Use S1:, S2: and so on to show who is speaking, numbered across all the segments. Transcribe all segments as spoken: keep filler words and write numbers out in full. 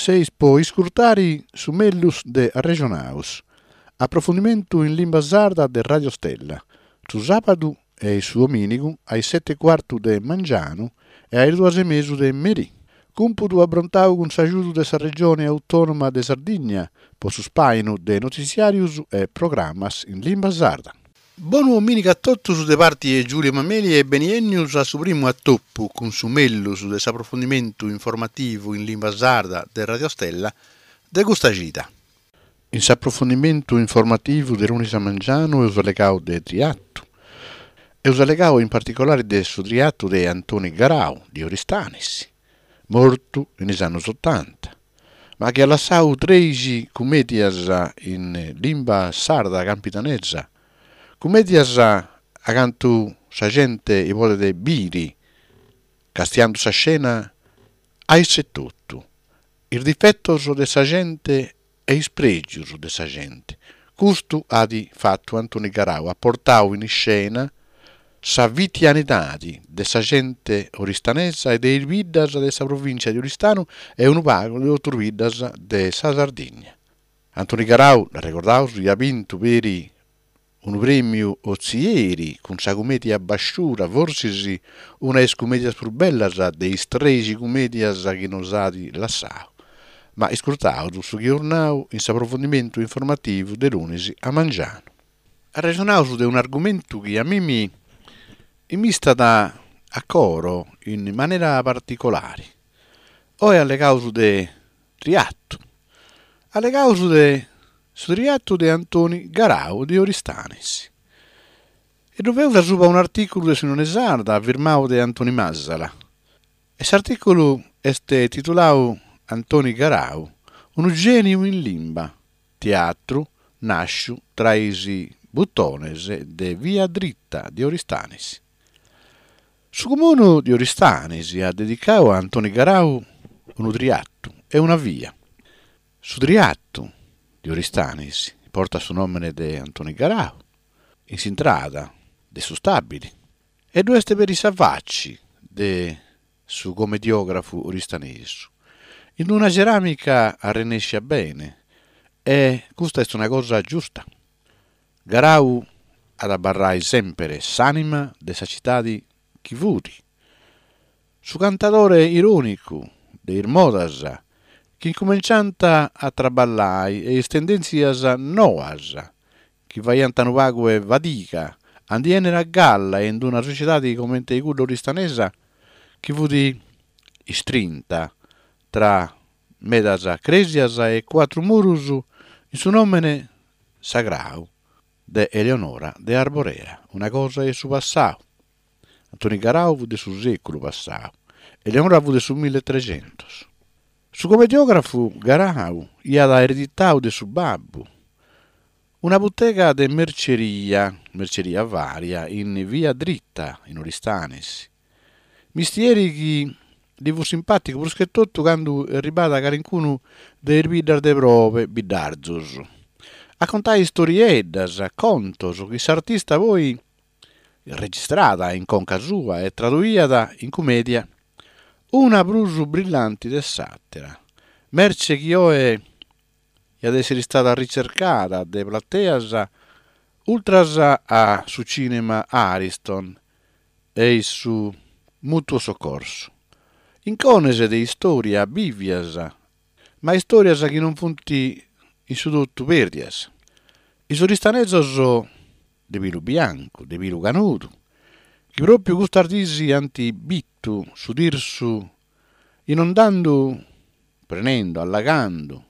S1: Seis po iscurtare su mellus de Arrexonaus, aprofundimentu in limba sarda de Radio Stella, su sàbadu e su domìnigu a is sete e cuartu de mangianu e a is duas e mesu de merì. Cumpudu abrontadu cun s'agiudu de sa Regione Autònoma de Sardigna pro su ispàinu de notitziàrios e programmas in limba sarda. Bonu domìnigu a totus de parte de Giulio Mameli e beniènnios a su primu atopu cun su mellus de s'aprofundimentu informativu in limba sarda de Radio Stella de custa chida. In s'aprofundimentu informativu de lunis a mangianu eus allegadu de triatu. Eus allegadu in particulare de su triatu de Antoni Garau de Oristanis, mortu in is annos otanta, ma chi at lassadu trèighi cummèdias in limba sarda campidanesa, cummèdias a cantu sa gente podet bìdere, castiende sa scena a isse etotu, is difetos de sa gente e is prègios de sa gente. Custu at fatu Antoni Garau, at portadu in iscena sa fitianidade de sa gente oristanesa e de is biddas de sa provìntzia de Oristanu e unu pagu de totu is biddas de sa Sardigna. Antoni Garau, dd'arregordaus, iat bintu peri unu prèmiu Ozieri cun sa cummèdia Basciura, fortzis una de is cummèdias prus bellas de is trèighi cummèdias chi nos at lassadu. Ma iscurtaus su chi eus nadu in s'aprofundimentu informativu de lunis a mangianu. Arrexonaus de un'argumentu chi a mimi m'istat a coro in manera particulare. Oe allegaus de triatu. Allegaus de su triatu de Antoni Garau de Oristanis. E ddu faeus asuba un'artìculu de s'Unione Sarda firmadu de Antoni Masala. E s'artìculu est tituladu Antoni Garau, unu gèniu in limba, teatru nàsciu tra is butones de Via Dritta de Oristanis. Su comunu de Oristanis at dedicadu a Antoni Garau unu triatu e una via. Su triatu de Oristanis portat su nòmene de Antoni Garau, in s'intrada de su stàbile, e ddu est peri sa faci de su comediògrafu oristanesu. In una ceràmica arrenèscia bene, e custa est una cosa giusta. Garau at a abarrare semper s'ànima de sa tzitade chi fut. Su cantadore irònicu de is modas chi incumenciant a traballare e is tendèntzias noas chi faghiant unu pagu 'e fadiga a ndi 'ennere a galla in una sotziedade comente cudda oristanesa chi fut istrinta tra medas crèsias e cuatru muros in su nòmene sagradu de Eleonora de Arborea, una cosa 'e su passadu. Antoni Garau fut de su sèculu passadu, Eleonora fut de su milletrecentos. Su comediògrafu Garau iat ereditadu de su babbu una butega de merceria, merceria varia, in via Dritta, in Oristanis. Mistieri chi li fut simpàticu prus che totu cando arribaiat calicunu de is biddas de probe, biddarzos, a contare istorieddas, contos chi s'artista poi registraiat in conca sua e traduiat in cummèdia, una prus brillante de s'àtera. Merce chi oe iat èssere istada ricercada de plateas ultras a su cinema Ariston e su Mutuo Soccorso. Incones de istòria bìvias, ma istòrias chi non funt in su totu pèrdias. Is oristanesos de pilu biancu, de pilu canudu, chi pròpiu custas dies ant bitu su Tirsu inondando, prenendo, allagando,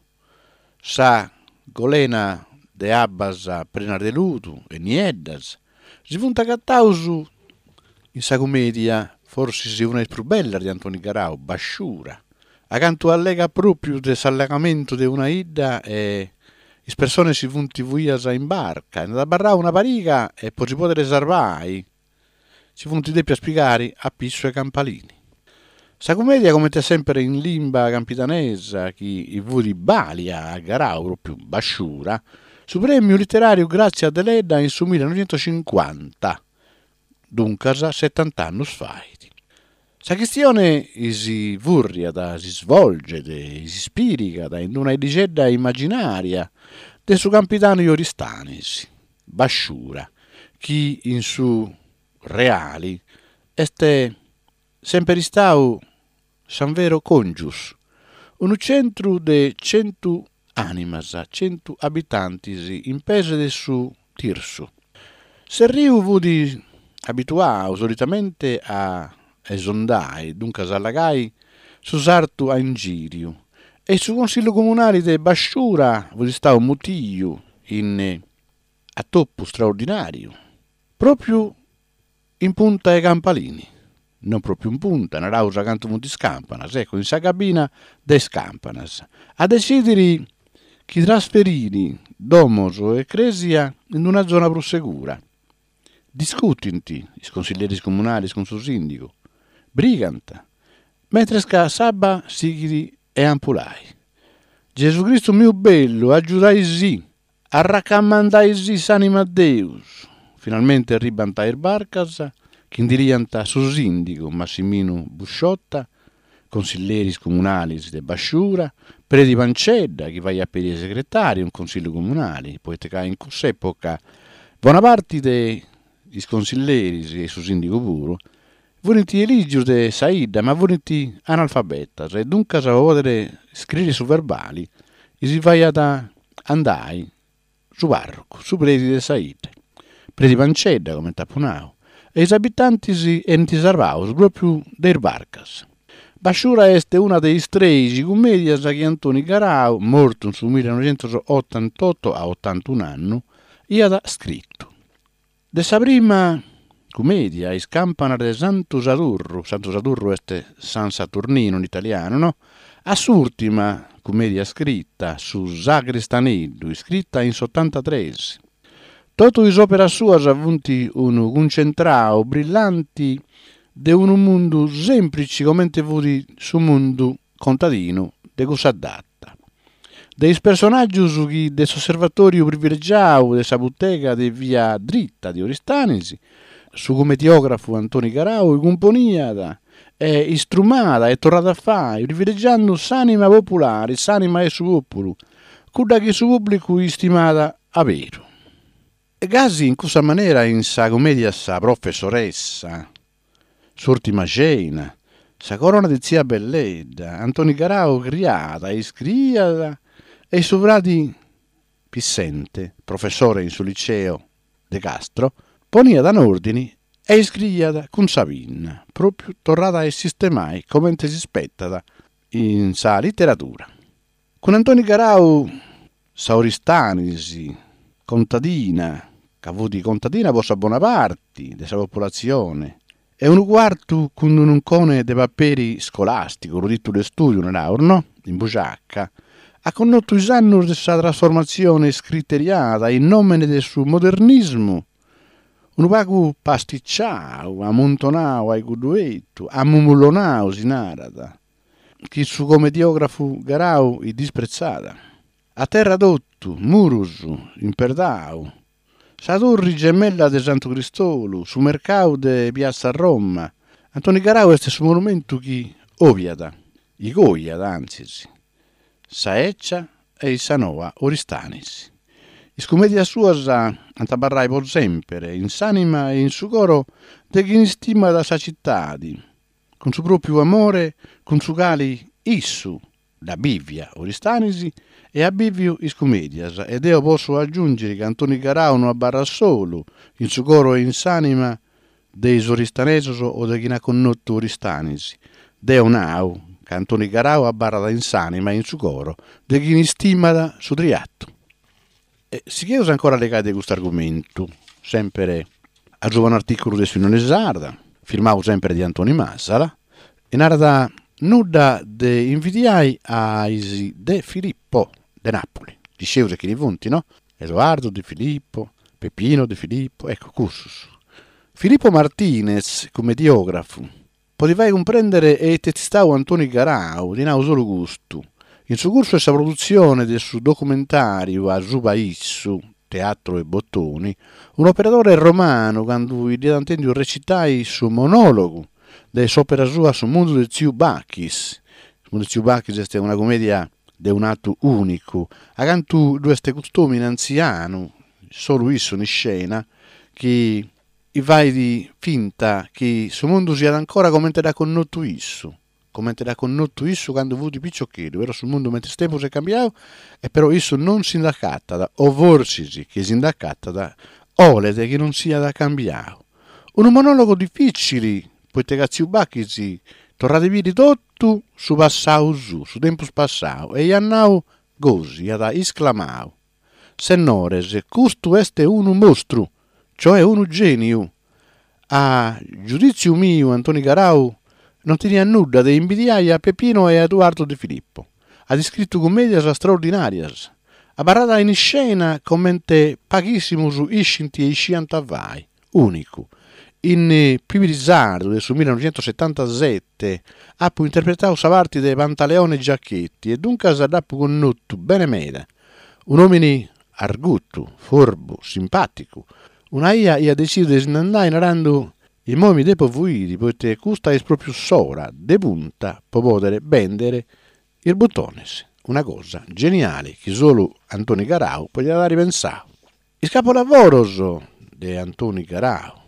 S1: sa golena de abbas prenas de ludu e nieddas, si funt agatados in sa cummèdia, forsis una de is prus bellas de Antoni Garau, Basciura, a cantu allegat pròpiu de s'allagamentu de una 'idda e is persones si funt fuidas in barca, nd'at abarradu una pariga e pro si pòdere sarvare si funt dèpias pigare a pissu 'e campalini. Sa cummèdia, comente semper in limba campidanesa, chi fut bàlia a Garau, pròpiu Basciura, su prèmiu literàriu Grazia Deledda in su millenoighentocincuanta, duncas setant'annos fait. Sa chistione si furriat, si svolget, si ispirigat in una 'iddixedda immaginaria de su Campidanu 'e Oristanis, Basciura, chi in su reale est semper istadu San Vero Congius, unu tzentru de chentu ànimas, chentu abitantes in pees de su Tirsu. S'erriu fiat abituadu solitamente a esondare, duncas a allagare su sartu a inghìriu, e su Consìgiu Comunale de Basciura fiat istadu mutidu in atopu istraordinàriu, pròpiu in punta 'e Campalini, non pròpiu in punta, naraus a cantu funt is campanas, ecco, in sa cabina de is campanas, a detzìdere chi trasferire domos e crèsia in una zona prus segura. Discutint is consiglieris comunales cun su sìndigu, brigant, mentres ca s'abba sighit a ampulare. Gesù Cristu meu bellu, agiudaisì, arracamandaisì s'ànima a Deus. Finalmente arribant is barcas chi ndi liant su sìndigu Massiminu Busciotta, consiglieris comunales de Basciura, Predi Pancedda, chi faghiat peri segretàriu in Consìgiu Comunale, poita ca in cuss'època bona parte de is consiglieris e su sìndigu puru funt elìgios de sa 'idda ma funt analfabetas e duncas pro pòdere iscrìere su verbale si faghiat andare su pàrrocu, su predi de sa 'idda, Predi Pancedda, comente apo nadu, e is abitantes 'enint sarvados pròpiu de is barcas. Basciura est una de is trèighi cummèdias chi Antoni Garau, mortu in su millenoighentos-otantoto a otantun'annu, aiat iscritu. De sa prima cummèdia, Is campanas de Santu Sadurru, Santu Sadurru est San Saturnino in italianu, no? A s'ùrtima cummèdia iscrita, Su sagristaneddu, iscrita in s'otantatrès. Totu is òperas suas funt unu cuncentradu brillante de unu mundu sèmplitze comente fiat su mundu contadinu de cussa data. De is personàgios chi de s'osservatòriu privilegiadu de sa butega de via Dritta de Oristanis, su cumediògrafu Antoni Garau cumponiat e istrumada e torrat a fàghere, privilegiende s'ànima populare, s'ànima 'e su pòpulu, cudda chi su pùblicu istimat a beru. E gasi in cussa manera in sa cummèdia Sa professoressa, S'ùrtima cena, Sa corona de tzia Belledda, Antoni Garau criat e iscriiat e su frade Pissente, professore in su liceo de Castro, poniat in òrdine e iscriiat cun sa pinna, pròpiu torrada a sistemare comente s'ispetat in sa literadura. Cun Antoni Garau sa Oristanis, contadina, ca fut contadina pro sa bona parte de sa populatzione, e unu cuartu cun un'uncone de paperi iscolàsticu, unu tìtulu de istùdiu, naraus, no? In bugiaca, at connotu is annos de sa trasformatzione scriteriada in nòmene de su modernismu, unu pagu pasticciadu, ammuntonadu a cuddu 'etu, ammumullonadu, si narat, chi su comediògrafu Garau dispretzat. A terra totu, muros, imperdadu, sa turre gemella de Santu Cristolu, su mercadu de Piazza Roma. Antoni Garau est su monumentu chi òviat, igòiat antzis, sa 'ecia e sa noa Oristanis. Is cummèdias suas ant a abarrare pro semper in s'ànima e in su coro de chie istimat sa tzitade, cun su pròpiu amore cun su cale issu dd'at bìvia Oristanis e at bìvidu is cummèdias, e deo posso agiùnghere ca Antoni Garau no abarrat solu in su coro e in s'ànima de is oristanesos o de chie at connotu Oristanis. Deo nau ca Antoni Garau abarrat in s'ànima e in su coro de chie istimat su triatu. E sigheus ancora a allegare de custu argumentu, semper a subra un'artìculu de s'Unione Sarda, firmadu semper de Antoni Masala, e narat nudda de invidiai a is De Filippo de Napoli. Scieus chini funt, no? Edoardo De Filippo, Peppino De Filippo, ecco, cussos. Filippo Martinez, cumediògrafu, Po ti fai cumprèndere ite est istadu Antoni Garau, ti nau solu custu, in su cursu 'e sa produtzione de su documentàriu A suba issu, Teatro e Bottoni, un'operadore romanu, cando dd'iat intèndiu recitare su monòlogu de s'òpera sua Su mundu de tziu Bachis. Su mundu de tziu Bachis est una cumèdia de un'atu ùnicu, acantu ddu est cust'òmine antzianu, solu issu in iscena, chi fait finta chi su mundu siat ancora comente dd'at connotu issu, comente dd'at connotu issu cando fut piciocheddu, però su mundu mentris tempus est cambiadu e però issu non si nd'acatat, o forsis chi si nd'acatat 'olet chi non siat cambiadu. Unu monòlogu difìtzili, poita ca tziu Bachis torrat a biri totu su passadu suu, su tempus passadu, e iat nau gosi, iat isclamadu, Sennores, custu est unu mostru, cioè unu gèniu. A giudìtziu miu Antoni Garau non teniat nudda de imbidiare a Peppino e a Eduardo De Filippo. At iscritu cummèdias straordinàrias. Abarrat in iscena comente paghìssimos iscint e isciant fai. Ùnicu. In Pibirisardu de su millenoighentosetantasete apo interpretadu sa parte de Pantaleone Giachetti e duncas dd'apo connotu bene meda. Un'òmine argutu, forbu, simpàticu. Una 'ia aiat detzisu de si nd'andare narende «Imoi mi depo fuire, poite custa est pròpiu s'ora de punta pro pòdere bèndere is butones». Una cosa geniale chi solu Antoni Garau podiat àere pensadu. Is capolavoros de Antoni Garau.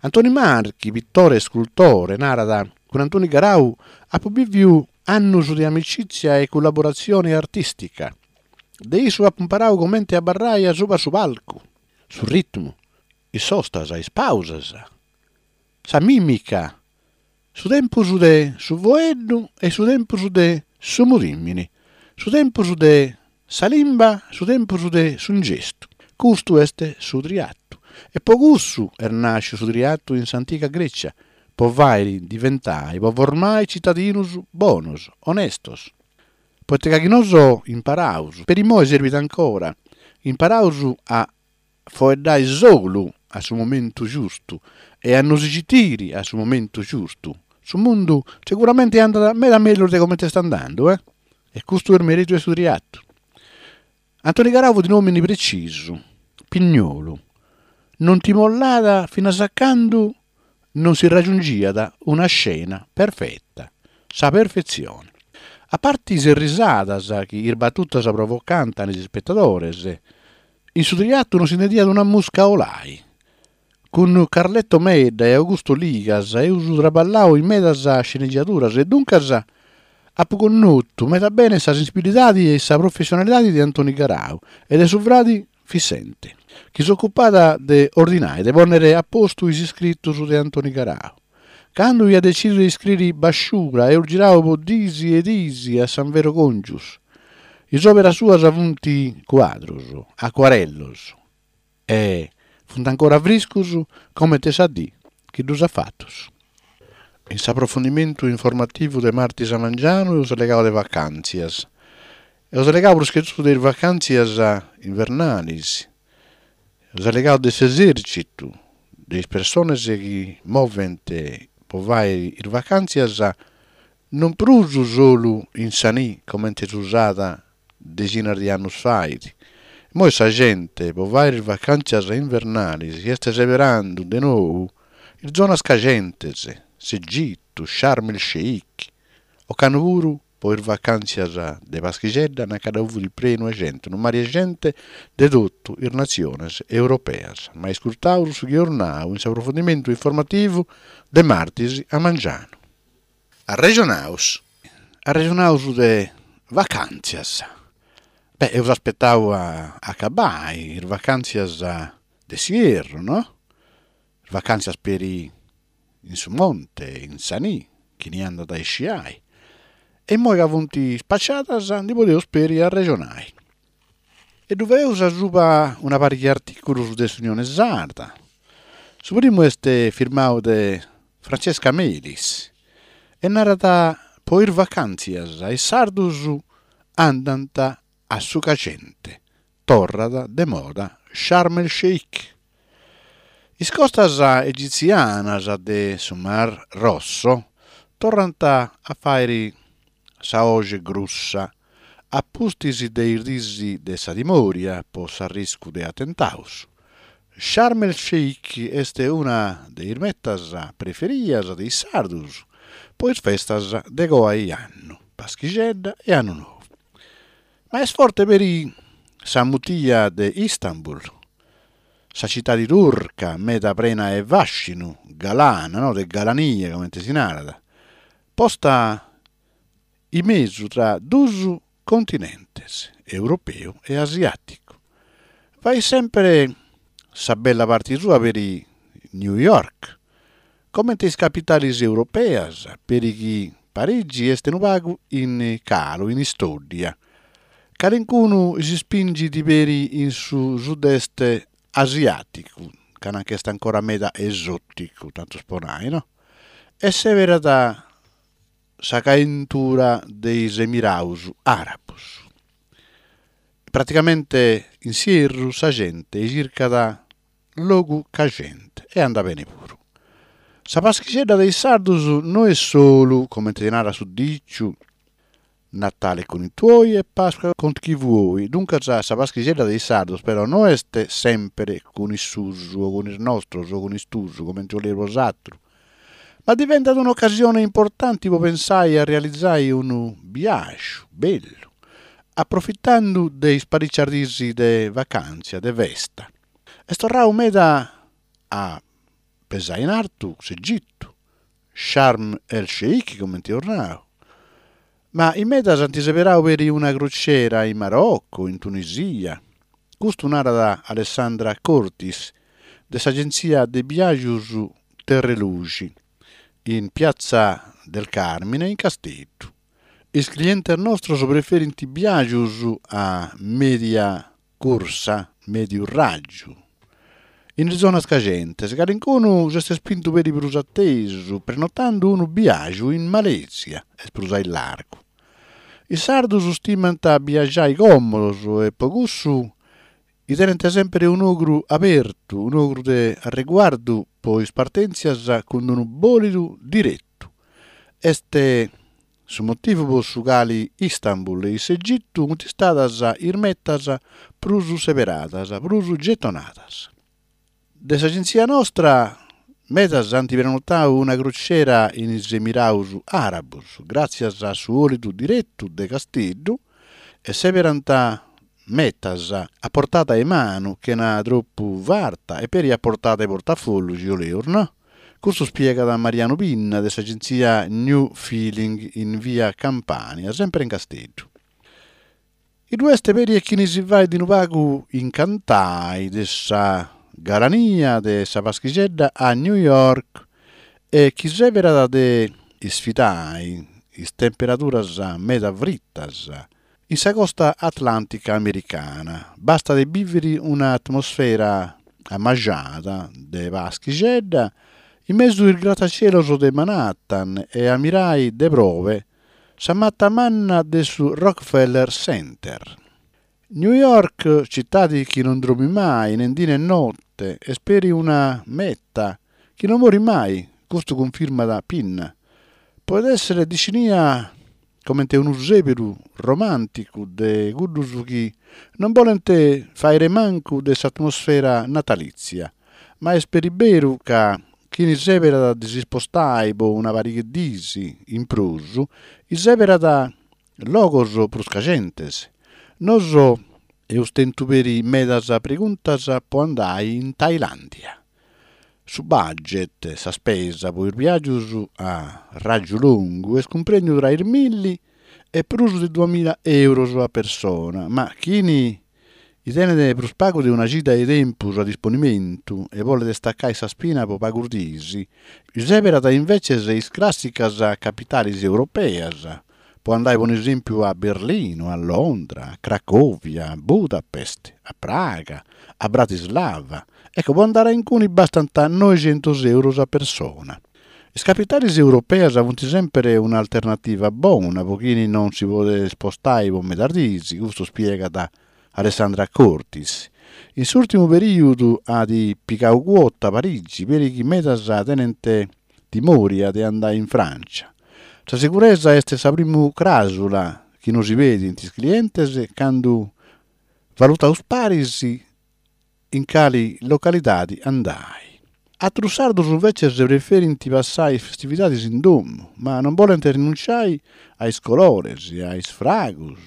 S1: Antoni Marchi, pitore e iscultore, narat «Cun Antoni Garau apo bìvidu annos de amicìtzia e collaboratzione artìstica. De issu apo imparadu comente abarrare subra su palcu, su ritmu, is sostas, is pàusas, sa mìmica, su tempus de su foeddu e su tempus de su mudìmine, su tempus de sa limba, su tempus de su gestu. Custu est su triatu. E pro cussu est nàschidu su triatu in s'antiga Grètzia, pro fàghere diventare, pro formare tzitadinos bonos, onestos. Poite ca chi nos imparaus, peri imoi servit ancora, imparaus a foeddare solu a su momentu giustu e a nos citire a su momentu giustu, su mundu seguramente andat meda mellus de comente est andando, eh? E custu est meritu de su triatu. Antoni Garau fut un'òmine pretzisu, pignolu, non ti mollat finas a cando non si raggiungiat una scena perfeta, sa perfetzione. A parte is risadas chi is batutas provocant in is ispetadores, in su triatu non si intendiat una musca 'olare. Cun Carletto Medda e Augusto Ligas eus traballadu in medas scenegiaduras e duncas apo connotu meda bene sa sensibilidade e sa professionalidade de Antoni Garau e de su frade Fissente, chi s'ocupat de ordinare, de pònnere a postu is iscritos de Antoni Garau. Cando aiat detzisu de iscrìere Basciura eus giradu pro dies e dies a San Vero Congius. Is òperas suas sunt cuadros, acuarellos e sunt ancora friscos comente sa die chi ddos at fatos. In s'aprofundimentu informativu de martis a mangianu eus allegadu de vacàntzias. Eus allegadu prus che totu de is vacàntzias invernales. Eus allegadu de s'esèrtzitu, de is persones chi movent pro fàghere is vacàntzias non prus solu in sa nie, comente s'usat deghinas de annos fait. Imoi sa gente pro fàghere is vacàntzias invernales est seberende de nou is zonas cajentes, s'Egitu, Sharm el Sheikh, ocannu puru pro is vacàntzias de Paschixedda nanca ddu fut prenu 'e gente, unu mare 'e gente de totu is natziones europeas. Ma iscurtaus su chi eus nau in s'aprofundimentu informativu de martis a mangianu. Arrejonaus. Arrejonaus de vacàntzias. Beh, eus aspetadu a acabbai is vacàntzias de s'ierru, no? Is vacàntzias peri in su monte, in sa nì, chini andat a isciai. E immoi ca funt spaciadas ndi podeus peri arrejonai. E ddu faeus asuba una pariga 'e artìculos de s'Unione Sarda. Su primu est firmadu de Francesca Melis e narat po is vacàntzias is sardos andant a su cajente, torrat de moda Sharm el Sheikh. Is costas egitzianas de su Mar Rosso torrant a fàghere sa 'oghe grussa, a pustis de is dies de sa timòria pro s'arriscu de atentados. Sharm el Sheikh est una de is metas preferias de is sardos pro is festas de coa 'e annu, Paschixedda e Annu Nou. Ma est forte peri sa mutia de Istanbul, sa tzitade turca meda prena de fàscinu, galana, no, de galania, comente si narat, posta in mesu tra duos continentes, europeu e asiàticu. Faghet semper sa bella parte sua peri New York, comente is capitales europeas, peri chi Parigi est unu pagu in calu, in istòddia. Calicunu s'ispinghet peri in su sud-est asiàticu, ca nânt chi est ancora meda esòticu, tantu pro nàrrere, no? E sèberat sa caentura de is Emirados Àrabos. Praticamente in s'ierru sa gente chircat logu cajente e andat bene puru. Sa Paschixedda de is sardos no est solu, comente si narat su dìciu, Natale con i tuoi e Pasqua con chi vuoi. Duncas sa Paschixedda de is sardos però no est semper cun is suos o cun is nostros o cun is tuos, comente 'oleis bosateros, ma diventat un'ocasione importante pro pensare a realizare unu biàgiu bellu, aprofitende de is paritzas dies de vacàntzia, de festa. Est torradu meda a pesare in artu s'Egitu, Sharm el Sheikh, comente amus nadu, ma in medas ant seberadu peri una crociera in Maroco, in Tunisia. Custu narat Alessandra Cortis, de s'agentzia de biàgios Terreluxi, in Piazza del Carmine in Casteddu. Is clientes nostros preferint biàgios a mèdia cursa, mèdiu ràgiu, in is zonas cajentes. Calicunu s'est ispintu peri prus a tesu, prenotende unu biàgiu in Malèsia, est prus a largu. Is sardos istimant a biagiare còmodos e pro cussu tenent semper un'ogru abertu, un'ogru de riguardu pro is partèntzias cun unu bòlidu diretu. Est su motivu pro su cale Istanbul e s'Egitu sunt istadas is metas prus seberadas, prus getonadas. De s'agentzia nostra medas ant prenotadu una crociera in is Emirados Àrabos, gràtzias a su bòlidu diretu de Casteddu, e sèberant metas a portada 'e manu, chena tropu farta e peri a portada 'e portafollu, si 'oleus, no? Custu ispiegat Mariano Pinna de s'agentzia New Feeling in via Campania, semper in Casteddu. Ddu est peri chini si faghet unu pagu incantare de sa galania de sa Paschixedda a New York e chi sèberat de isfidare is temperaduras meda fritas in sa costa atlàntica americana. Bastat de bìvere un'atmosfera ammajada de Paschixedda in mesu is gratacielos de Manhattan e ammirare de probe sa mata manna de su Rockefeller Center. New York, tzitade chi non dromit mai, nen die nen note, est peri una meta chi non morit mai, custu cunfirmat Pinna. Podet èssere definia comente unu sèberu romànticu de cuddos chi non bolent fàghere mancu de s'atmosfera natalìtzia, ma est peri beru ca chini sèberat de s'ispostare pro una pariga de dies in prus, isèberat logos prus cajentes. Nois amus tentu peri medas preguntas pro andare in Tailàndia. Su budget, sa ispesa pro is biàgios a ràgiu longu est cumprèndidu tra is milli e prus de duamìgia èuros a persone, ma chini tenet prus pagu de una chida de tempus a disponimentu e bolet istacare sa ispina pro pagas dies, isèberat imbetzes is clàssicas capitales europeas, pro andare pro esèmpiu a Berlinu, a Londra, a Cracòvia, a Budapest, a Praga, a Bratislava. Ecco, pro andare a in cue bastant noighentos èuros a persone. Is capitales europeas sunt semper un'alternativa bona pro chini non si podet ispostare pro medas dies, custu ispiegat Alessandra Cortis. In s'ùrtimu perìodu at pigadu cuota Parigi, peri chi medas tenent timòria de andare in Frància. Sa seguresa est sa prima cràusula chi nos pedint is clientes cando valutamus paris in cali localidade andare. Àteros sardos imbetzes preferint passare is festividades in domo, ma non bolent rinuntziare a is colores, a is fragos,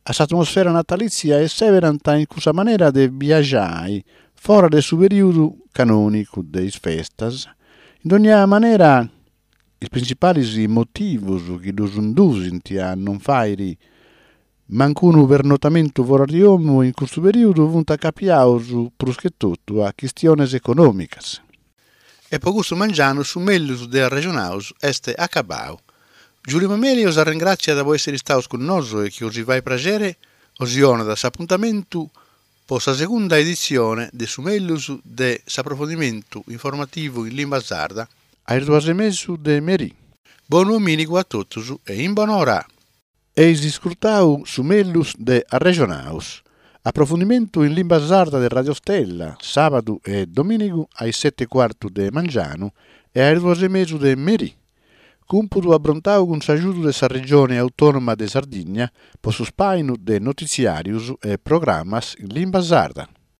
S1: a s'atmosfera natalìtzia e sèberant in custa manera de biagiare foras de su perìodu canònicu de is festas. In ogna manera is printzipales motivos chi ddos indusint a non fàghere mancu unu pernotamentu foras de domo in custu perìodu sunt acapiados prus che totu a chistiones econòmicas. E pro custu mangianu su mègius de Arrejonados est acabadu. Giulio Mameli bos ringràtziat pro èssere istados cun nois e chi bos faghet praghere bos donat s'apuntamentu pro sa segunda editzione de su mègius de s'aprofundimentu informativu in limba sarda a is duas e mesu de merie. Bonu domìnigu a totus e in bonora! Eis iscurtadu su mègius de Arrejonados. Aprofundimentu in limba sarda de Radio Stella, sàbadu e domìnigu a is sete e cuartu de mangianu e a is duas e mesu de merie. Cùmpudu abrontadu cun s'agiudu de sa Regione Autònoma de Sardigna pro su ispàinu de notitziàrios e programmas in limba sarda.